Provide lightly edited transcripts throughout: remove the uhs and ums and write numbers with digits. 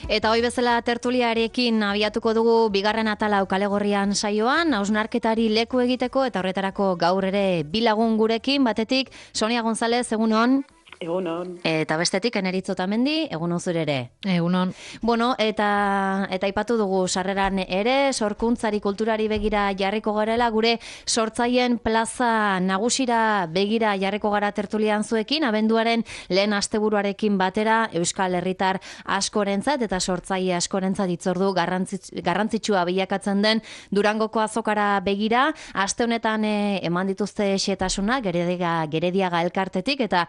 Eta hoi bezala tertuliarekin abiatuko dugu bigarren atala Kale Gorrian saioan, hausnarketari leku egiteko eta horretarako gaur ere bilagun gurekin, batetik Sonia González, egunon. Egunon. Eta bestetik Eneritz Otamendi, egunon zure ere. Egunon. Bueno, eta aipatu dugu sarreran ere, sorkuntzari kulturari begira jarriko garela, gure sortzaien plaza nagusira begira jarriko gara tertulian zuekin, abenduaren lehen asteburuarekin batera Euskal Herritar askorentzat eta sortzaile askorentzat hitzordu garrantzitsua bilakatzen den Durangoko azokara begira, aste honetan eman dituzte xetasuna Gerediaga elkartetik eta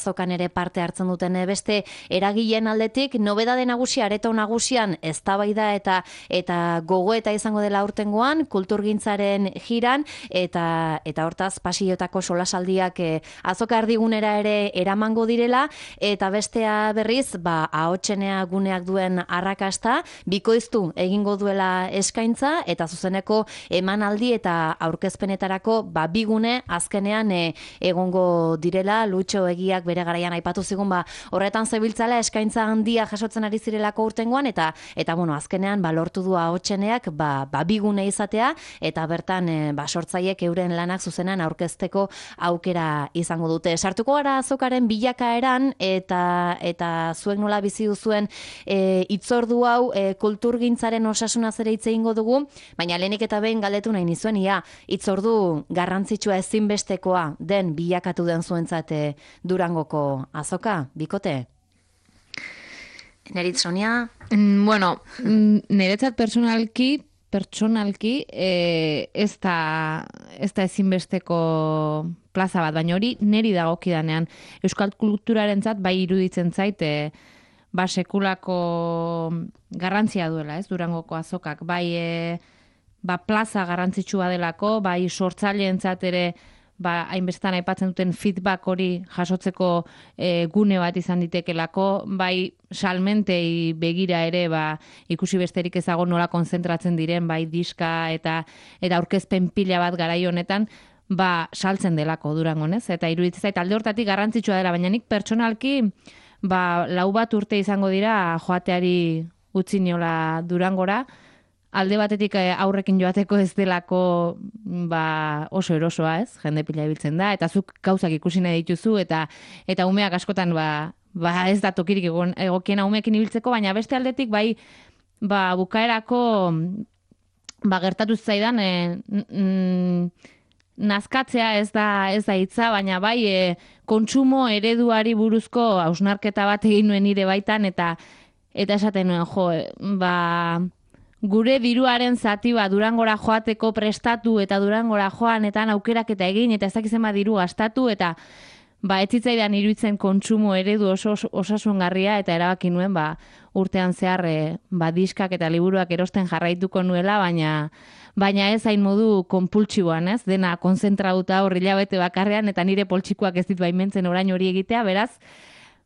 azokan ere parte hartzen duten beste eragileen aldetik, nobedade nagusia areto nagusian eztabaida eta gogoeta izango dela aurtengoan kulturgintzaren jiran eta hortaz pasiotako solasaldiak azoka erdigunera ere eramango direla eta bestea berriz ahotsenea guneak duen arrakasta bikoiztu egingo duela eskaintza eta zuzeneko emanaldi eta aurkezpenetarako bigune azkenean egongo direla. Lutxo Egiak bere garaian aipatu zigun horretan zebiltzala eskaintza handia jasotzen ari zirelako urtengoan eta bueno, azkenean lortu du ahotseneak bigune izatea eta bertan sortzaiek euren lanak zuzenan aurkezteko aukera izango dute. Sartuko gara azokaren bilakaeran eta zuek nola bizi duzuen hitzordu hau kulturgintzaren osasunaz ere hitz egingo dugu, baina lehenik eta behin galdetu nahi nizuen hitzordu garrantzitsua ezinbestekoa den bilakatu den zuentzat Durangoko azoka, bikote? Neritz, Sonia? Bueno, niretzat pertsonalki ez da ezinbesteko plaza bat, baina hori neri dagokidanean. Euskal kulturarentzat bai iruditzen zait sekulako garrantzia duela, ez, Durangoko azokak. Bai plaza garrantzitsua delako, bai sortzaileentzat ere hainbestan aipatzen duten feedback hori jasotzeko gune bat izan ditekelako, bai salmentei begira ere ikusi besterik ezago nola konzentratzen diren, bai diska eta aurkezpen pila bat garai honetan, saltzen delako Durangon, ez? Eta iruditzen zait alde hortatik garrantzitsua dela, baina nik pertsonalki 4 urte izango dira joateari utzi niola Durangora. Alde batetik aurrekin joateko ez delako oso erosoa, ez? Jende pila ibiltzen da, eta zuk gauzak ikusi nahi dituzu, eta umeak askotan ez da tokirik egokiena umeekin ibiltzeko, baina beste aldetik bukaerako gertatu zaidan nazkatzea ez da hitza, baina kontsumo ereduari buruzko hausnarketa bat egin nuen nire baitan, eta esaten nuen, gure diruaren zati Durangora joateko prestatu eta Durangora joanetan aukeraketa egin eta ez dakizema diru gastatu eta ez zitzaidan iruditzen kontsumo eredu oso osasungarria eta erabaki nuen urtean zehar diskak eta liburuak erosten jarraituko nuela, baina ez hain modu konpultsiboan, ez? Dena konzentrauta hilabete bakarrean eta nire poltsikoak ez dit baimentzen orain hori egitea, beraz,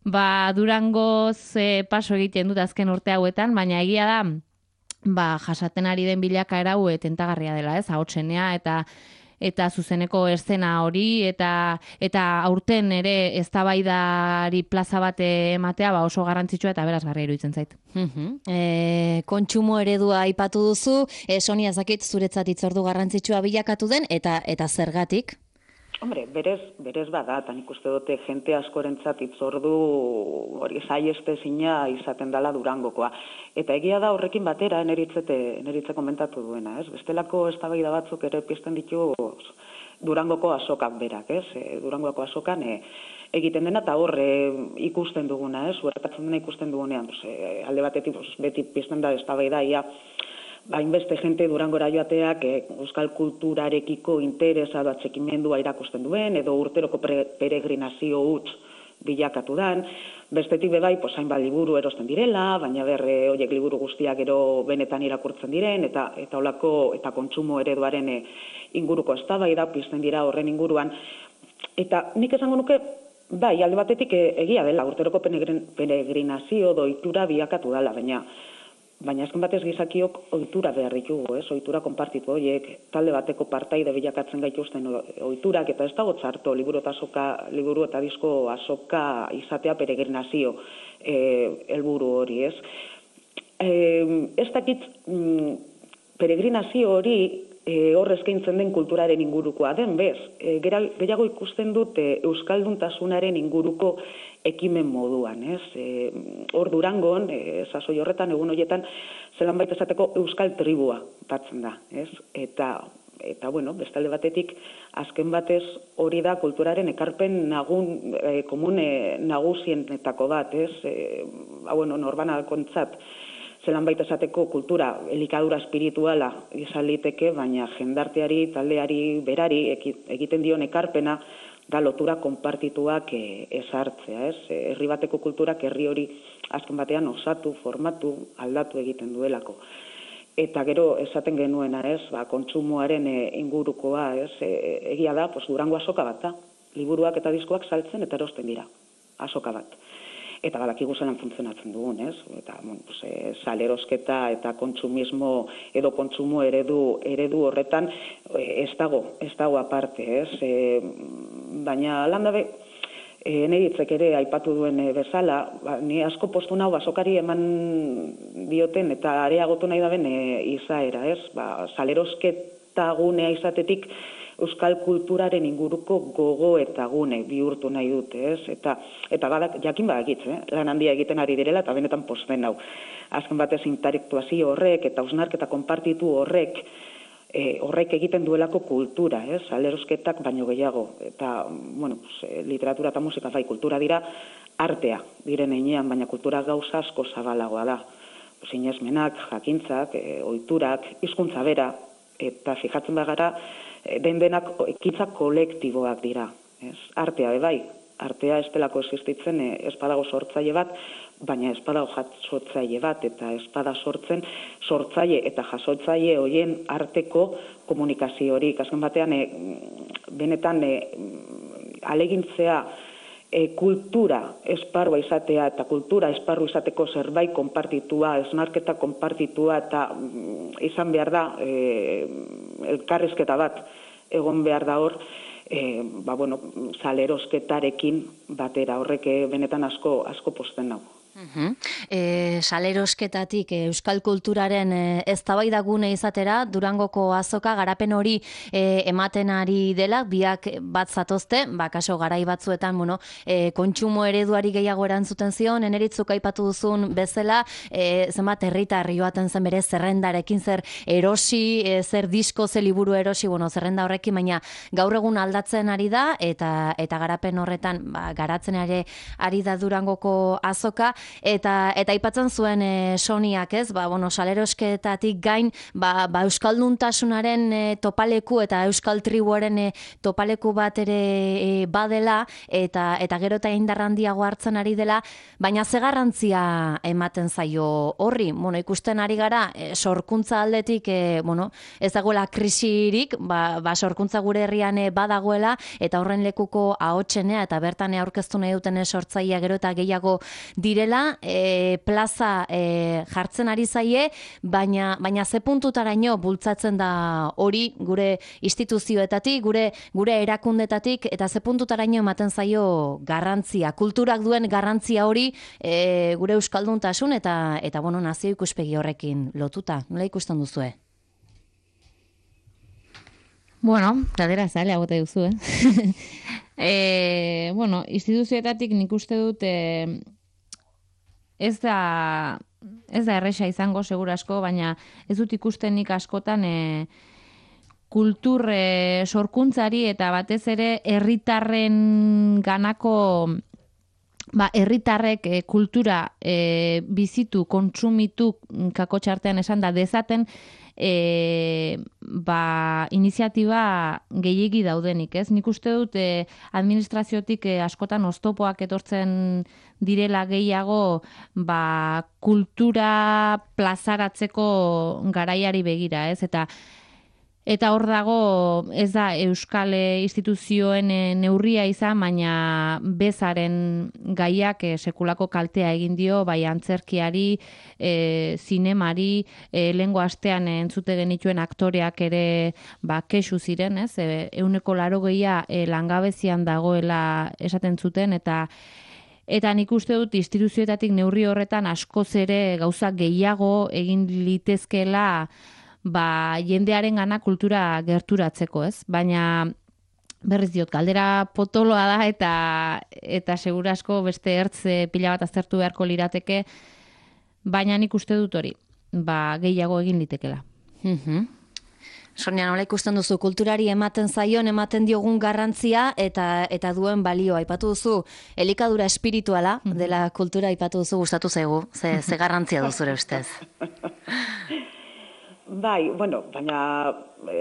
Durangoz paso egiten dut azken urte hauetan, baina egia da jasaten ari den bilakaera hau tentagarria dela, ez? Ahotsenea eta zuzeneko eszena hori eta aurten ere eztabaidari plaza bat ematea oso garrantzitsua eta berazgarria iruditzen zait. Kontsumo eredua aipatu duzu, Sonia, zakit zuretzat hitzordu garrantzitsua bilakatu den eta zergatik? Hombre, berez bada, eta nik uste dute jente askorentzat hitzordu hori saiestezina izaten dela Durangokoa. Eta egia da horrekin batera Eneritze komentatu duena, ez? Bestelako eztabaida batzuk ere pizten ditu Durangoko azokak berak, ez? Durangoko azokan egiten dena eta hor ikusten duguna, ez? Huertatzen dena ikusten dugunean, alde batetik beti pizten da eztabaida hainbeste jente Durangora joateak euskal kulturarekiko interesa atxikimendua irakusten duen, edo urteroko peregrinazio huts bilakatu dan. Bestetik bebai, hainbat liburu erosten direla, baina horiek liburu guztiak gero benetan irakurtzen diren, eta holako eta kontsumo ereduaren inguruko eztabaida pizten dira horren inguruan. Eta nik esango nuke, alde batetik egia dela, urteroko peregrinazio doitura bilakatu dela, baina azken batez gizakiok ohitura behar ditugu, ez? Ohitura konpartitu horiek, talde bateko partaide bilakatzen gaituzten ohiturak, eta ez dago txarto liburu eta disko azoka izatea peregrinazio helburu hori, ez? ez dakit peregrinazio hori hor eskaintzen den kulturaren ingurukoa den, bez? Gehiago ikusten dut euskalduntasunaren inguruko ekimen moduan, ez? Hor Durangon, sasoi horretan, egun horietan, zelan baita esateko euskal tribua batzen da, ez? Eta bueno, bestalde batetik, azken batez hori da kulturaren ekarpen komune nagusienetako bat, ez? Norbanakontzat, zelan baita esateko kultura, elikadura espirituala izan liteke, baina jendarteari, taldeari, berari egiten dion ekarpena da lotura konpartituak ezartzea, ez? Herri bateko kulturak herri hori azken batean osatu, formatu, aldatu egiten duelako. Eta gero esaten genuena, ez? Kontsumoaren ingurukoa, ez? Egia da, Durango azoka bat da. Liburuak eta diskoak saltzen eta erosten dira. Azoka bat. Eta badakigu zelan funtzionatzen dugun, ez? Eta, salerosketa eta kontsumismo edo kontsumo eredu horretan ez dago aparte, ez? Baina landabe, Neritzek ere aipatu duen bezala, ni asko postu nau azokari eman dioten eta areagotu nahi daben izaera, ez? Salerosketa gunea izatetik euskal kulturaren inguruko gogo eta gune bihurtu nahi dute, ez? Eta jakin badakitz, lan handia egiten ari direla eta benetan pozten hau. Azken batez intelektuazio horrek eta hausnarketa konpartitu horrek egiten duelako kultura, ez? Salerosketak baino gehiago. Eta, literatura eta musika bai kultura dira, artea diren heinean, baina kultura gauza asko zabalagoa da. Sinesmenak, jakintzak, ohiturak, hizkuntza bera, eta fijatzen bagara, denak ekintza kolektiboak dira. Artea bai, artea ez delako existitzen ez badago sortzaile bat, baina ez badago jasotzaile bat, eta ez bada sortzen sortzaile eta jasotzaile horien arteko komunikaziorik. Azken batean, benetan alegintzea kultura esparrua izatea eta kultura esparru izateko zerbait konpartitua, esnarketa konpartitua eta izan behar da elkarrizketa bat egon behar da hor, salerosketarekin batera, horrek benetan asko pozten nau. Salerosketatik euskal kulturaren eztabaidagune izatera, Durangoko azoka garapen hori ematen ari dela, biak bat zatozte, kaso garai batzuetan, kontsumo ereduari gehiago erantzuten zion, Eneritzuk aipatu duzun bezala, zenbat herritar joaten zen bere zerrendarekin, zer erosi, zer disko, zer liburu erosi, zerrenda horrekin, baina gaur egun aldatzen ari da, eta garapen horretan garatzen ari da Durangoko azoka, eta aipatzen zuen Soniak, ez? Salerosketatik gain, euskalduntasunaren topaleku eta euskal tribuaren topaleku bat ere badela, eta gero eta indar handiago hartzen ari dela, baina ze garrantzia ematen zaio horri? Ikusten ari gara, sorkuntza aldetik, ez dagoela krisirik, sorkuntza gure herrian badagoela, eta horren lekuko ahotsenea, eta bertan aurkeztu nahi duten sortzailea gero eta gehiago direla, plaza jartzen ari zaie, baina ze puntutaraino bultzatzen da hori gure instituzioetatik, gure erakundetatik, eta ze puntutaraino ematen zaio garrantzia, kulturak duen garrantzia hori gure euskalduntasun eta nazio ikuspegi horrekin lotuta. Nola ikusten duzue? Galdera zaila bota duzu, instituzioetatik nik uste dut ez da erresa izango segura asko, baina ez dut ikusten nik askotan kultur sorkuntzari eta batez ere herritarren ganako herritarrek kultura bizitu, kontsumitu, kakotxartean esan da dezaten iniziatiba gehiegi daudenik, ez? Nik uste dut administraziotik askotan oztopoak etortzen direla gehiago kultura plazaratzeko garaiari begira, ez? Eta hor dago, ez da euskal instituzioen neurria izan, baina bezaren gaiak sekulako kaltea egin dio, bai antzerkiari, zinemari, lehengo astean entzute genituen aktoreak ere kexu ziren, ez? 180 langabezian dagoela esaten zuten, eta eta nik uste dut instituzioetatik neurri horretan askoz ere gauza gehiago egin litezkeela jendearen gana kultura gerturatzeko, ez? Baina berriz diot, galdera potoloa da eta segura asko beste ertz pila bat aztertu beharko lirateke, baina nik uste dut hori, gehiago egin litekela. Sonia, nola ikusten duzu, kulturari ematen diogun garrantzia eta duen balioa. Aipatu duzu, elikadura espirituala dela kultura aipatu duzu, gustatu zaigu, ze garrantzia du zure ustez? Bai, bueno, baina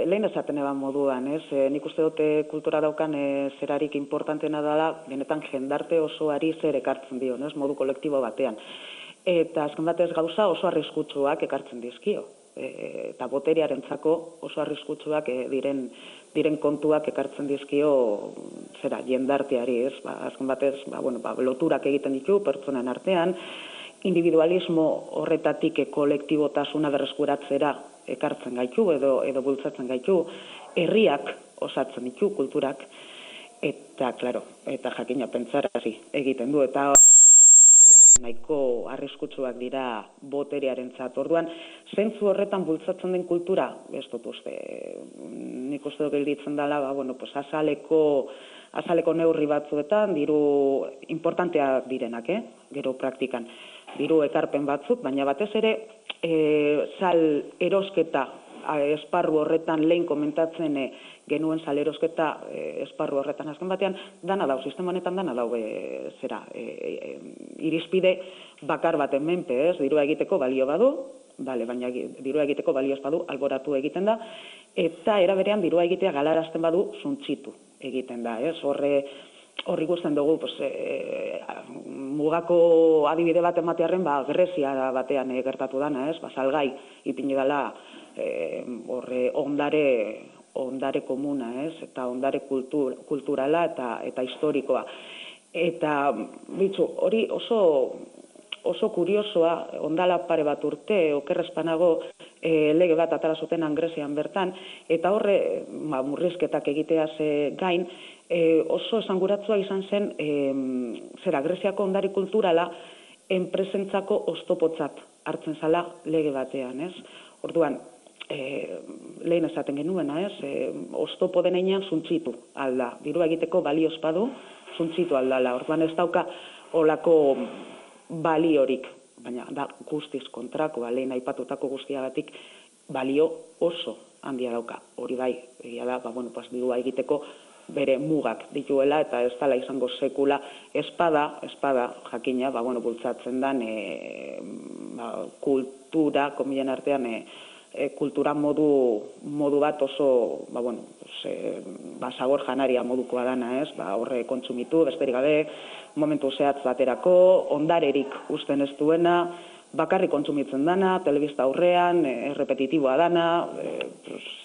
lehen esaten eban moduan, ez? Nik uste dute kultura daukan zerarik importantena dela, benetan jendarte osoari zer ekartzen dio, ez? Modu kolektibo batean. Eta azken batez gauza oso arriskutsuak ekartzen dizkio. Eta boterearentzako oso arriskutsuak diren kontuak ekartzen dizkio jendarteari, ez? Azken batez, loturak egiten ditu pertsonen artean, individualismo horretatik kolektibotasuna berreskuratzera ekartzen gaitu edo bultzatzen gaitu, herriak osatzen ditu kulturak, eta, klaro, eta jakina pentsarazi egiten du, eta nahiko arriskutsuak dira boterearentzat. Orduan, zentzu horretan bultzatzen den kultura, ez dut uste, nik uste dut gelditzen dela, azaleko neurri batzuetan, diru importanteak direnak, gero praktikan, diru ekarpen batzuk, baina batez ere, sal erosketa esparru horretan lehen komentatzen genuen sal erosketa esparru horretan azken batean, dana dau, sistema honetan dana dau irizpide bakar baten menpe, ez, dirua egiteko balio badu, baina dirua egiteko balio ez badu, alboratu egiten da, eta era berean dirua egitea galarazten badu, suntsitu egiten da, ez, horri guztien dugu, mugako adibide bat ematearen, Grezia batean gertatu dana, ez, salgai ipini dela ondare komuna, ez, eta ondare kulturala eta historikoa. Eta, hori oso kuriosoa, ondala pare bat urte, okerrezpanago lege bat atara zutenan Grezian bertan, eta horre murrizketak egiteaz gain, oso esanguratsua izan zen Greziako ondare kulturala enpresentzako oztopotzat hartzen zala lege batean, ez? Orduan, lehen esaten genuena, ez? Oztopo denean suntsitu alda. Dirua egiteko balio espadu suntsitu aldala. Orduan ez dauka olako baliorik, baina da guztiz kontrakoa, lehen aipatutako guztiagatik balio oso handia dauka. Hori bai, egia da, dirua egiteko bere mugak dituela eta ez dela izango sekula espada jakina, bultzatzen den kultura, komilen artean, kultura modu bat oso, sagor janaria modukoa dana, ez? Horre kontsumitu, besterik gabe, momentu zehatz baterako, ondarerik usten ez duena, bakarrik kontsumitzen dana, telebista aurrean, repetitiboa dana,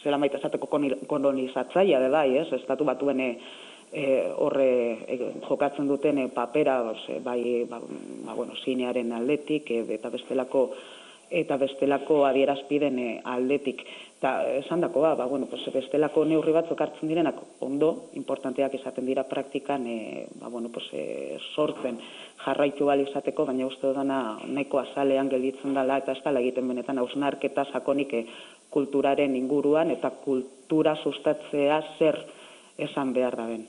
zela maite esateko kolonizatzaia de bai, ez? Estatu batuen horre jokatzen duten papera, zinearen aldetik, eta bestelako adierazpiden aldetik. Eta esan dakoa, bestelako neurri batzuk hartzen direnak ondo, importanteak izaten dira praktikan, sortzen jarraitu bali izateko, baina uste dudana nahiko azalean gelditzen dela, eta ez dela egiten benetan hausnarketa sakonik kulturaren inguruan, eta kultura sustatzea zer esan behar da ben.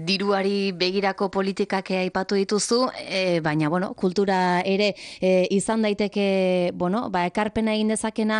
Diruari begirako politikak aipatu dituzu, baina, kultura ere izan daiteke, ekarpena egin dezakena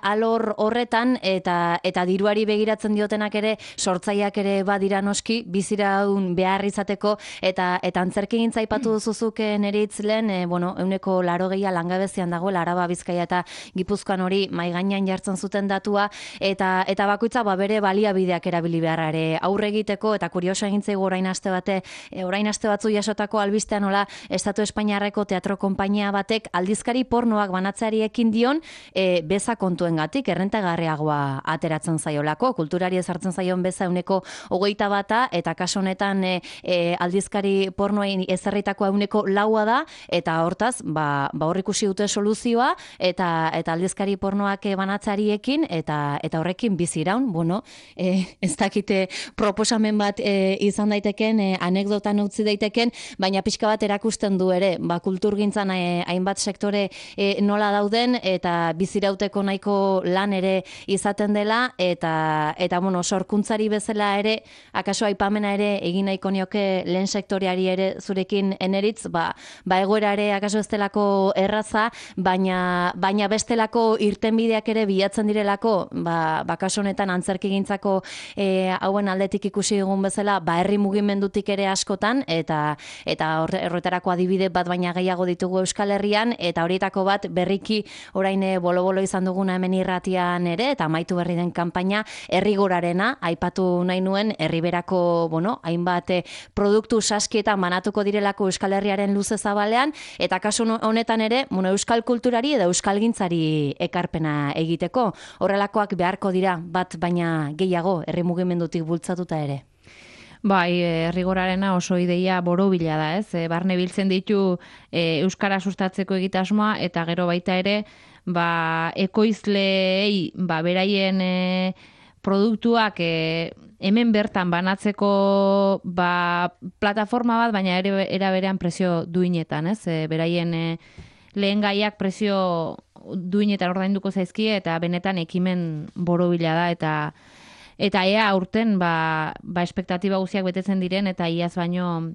alor horretan, eta diruari begiratzen diotenak ere, sortzaileak ere badira noski, biziraun behar izateko, eta antzerkigintza aipatu duzuzuk nire itzlen, 80% langabezian dagoela, Araba, Bizkaia eta Gipuzkoan hori mahai gainean jartzen zuten datua, eta bakoitza bere baliabideak erabili beharra ere aurre egiteko, eta kurioso egin zaigu orain aste batzu jasotako albistean nola Estatu Espainiarreko teatro konpainia batek aldizkari pornoak banatzeari ekin dion beza kontuengatik errentagarriagoa ateratzen zaiolako, kulturari ezartzen zaion beza 21%, eta kasu honetan aldizkari pornoen ezarritakoa 4% da, eta hortaz, hor ikusi dute soluzioa, eta aldizkari pornoak banatzeari ekin, eta horrekin biziraun, ez dakite proposamen bat izan daiteken, anekdotan utzi daiteken, baina pixka bat erakusten du ere, kulturgintzan hainbat sektore nola dauden, eta bizirauteko nahiko lan ere izaten dela, eta bueno, sorkuntzari bezala ere, akaso aipamena ere egin nahiko nioke lehen sektoreari ere zurekin eneritz, egoera ere akaso ez delako erraza, baina bestelako irtenbideak ere bilatzen direlako, kasu honetan antzerkigintzako hauen aldetik ikusi dugun bezala, herri mugimendutik ere askotan, eta horretarako adibide bat baina gehiago ditugu Euskal Herrian, eta horietako bat berriki orain bolo-bolo izan duguna hemen irratian ere, eta amaitu berri den kanpaina, Herrigorarena, aipatu nahi nuen, herriberako, hainbat produktu saskietan banatuko direlako Euskal Herriaren luze zabalean, eta kasu honetan ere, euskal kulturari edo euskalgintzari ekarpena egiteko. Horrelakoak beharko dira, bat baina gehiago, herri mugimendutik bultzatuta ere. Bai, Herrigorarena oso ideia borobila da, ez? Barne biltzen ditu euskara sustatzeko egitasmoa, eta gero baita ere, ekoizleei, beraien produktuak hemen bertan banatzeko plataforma bat, baina era berean presio duinetan, ez? Beraien lehen gaiak presio duinetan ordainduko zaizkie, eta benetan ekimen borobila da, eta ea aurten espektatiba guztiak betetzen diren, eta iaz baino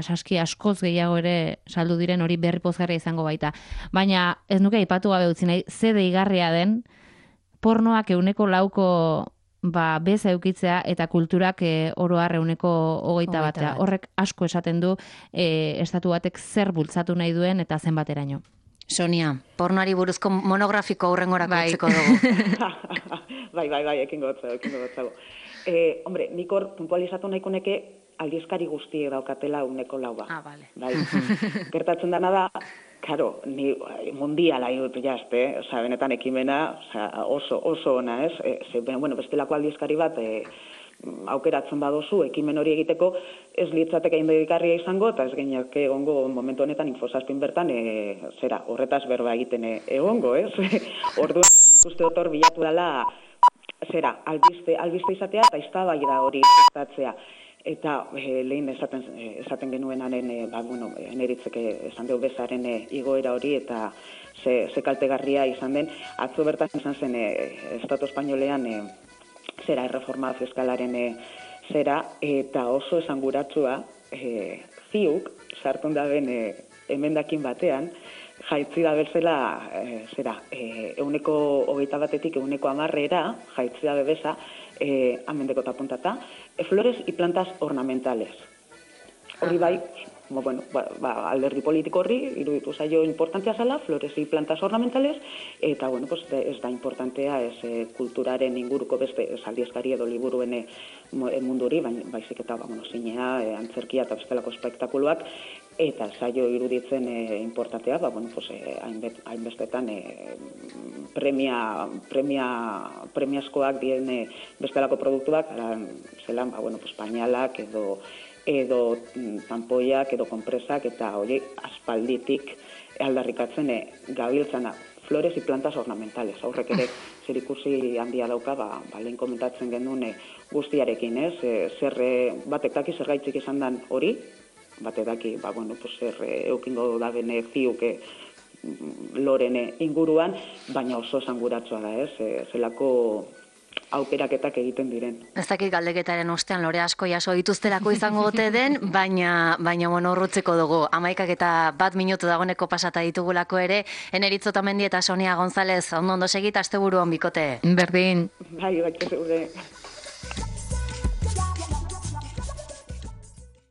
saski askoz gehiago ere saldu diren, hori berri pozgarria izango baita. Baina ez nuke aipatu gabe utzi nahi, ze deigarria den pornoak 100% beza eukitzea, eta kulturak oro har 21%. Horrek asko esaten du estatu batek zer bultzatu nahi duen eta zenbateraino. Sonia, pornoari buruzko monografiko aurrengorako utziko dugu. Bai, ekingo gotzago. Hombre, nik hor puntualizatu nahiko neke aldizkari guztiek daukatela 100%. Vale. Bai. Gertatzen dena da, karo, ni mundiala dut jazte, benetan ekimena, oso ona, ez? Bestelako aldizkari bat aukeratzen badozu, ekimen hori egiteko, ez litzateke indedikarria izango, eta ez gainak egongo momentu honetan Infosazpin bertan, horretaz berba egiten egongo, ez? Orduan, ikuste dut hor bilatu dela, albiste izatea, eta eztabaida hori sustatzea. Eta lehen esaten genuenaren, eneritzeke esan deu bezaren igoera hori, eta ze kaltegarria izan den, atzo bertan izan zen Estatu Espainolean erreforma fiskalaren eta oso esanguratsua ziuk sartun da ben emendakin batean, jaitzi da bezala 121-etik 110-era, jaitzi da bebesa, amendeko tapuntata, flores y plantas ornamentales. Hori bai, alderdi politiko horri, iruditu zaio importantea zela, flores y plantas ornamentales, eta, ez da importantea, kulturaren inguruko beste, aldizkari edo liburuen munduri, baizik eta, zinea, antzerkia eta bestelako espektakuluak, eta zaio iruditzen importantea, hainbestetan premiazkoak dien bestelako produktuak, zelan, pañalak edo tanpoiak, edo konpresak, eta hori aspalditik aldarrikatzen gabiltzana. Flores y plantas ornamentales. Aurrek ere zerikusi handia dauka, lehen komentatzen genuen guztiarekin, ez? Batek daki zergaitzik izan dan hori, batek daki, zer eukingo da bene ziuke loren inguruan, baina oso esanguratsua da, ez? Zelako aukeraketak egiten diren. Ez dakit galdeketaren ostean lore asko jaso dituztelako izango ote den, baina urrutzeko dugu. 11:01 minutu dagoeneko pasata ditugulako ere, Eneritz Otamendi eta Sonia González, ondo segit, asteburu on bikote. Berdin. Bai, zeure.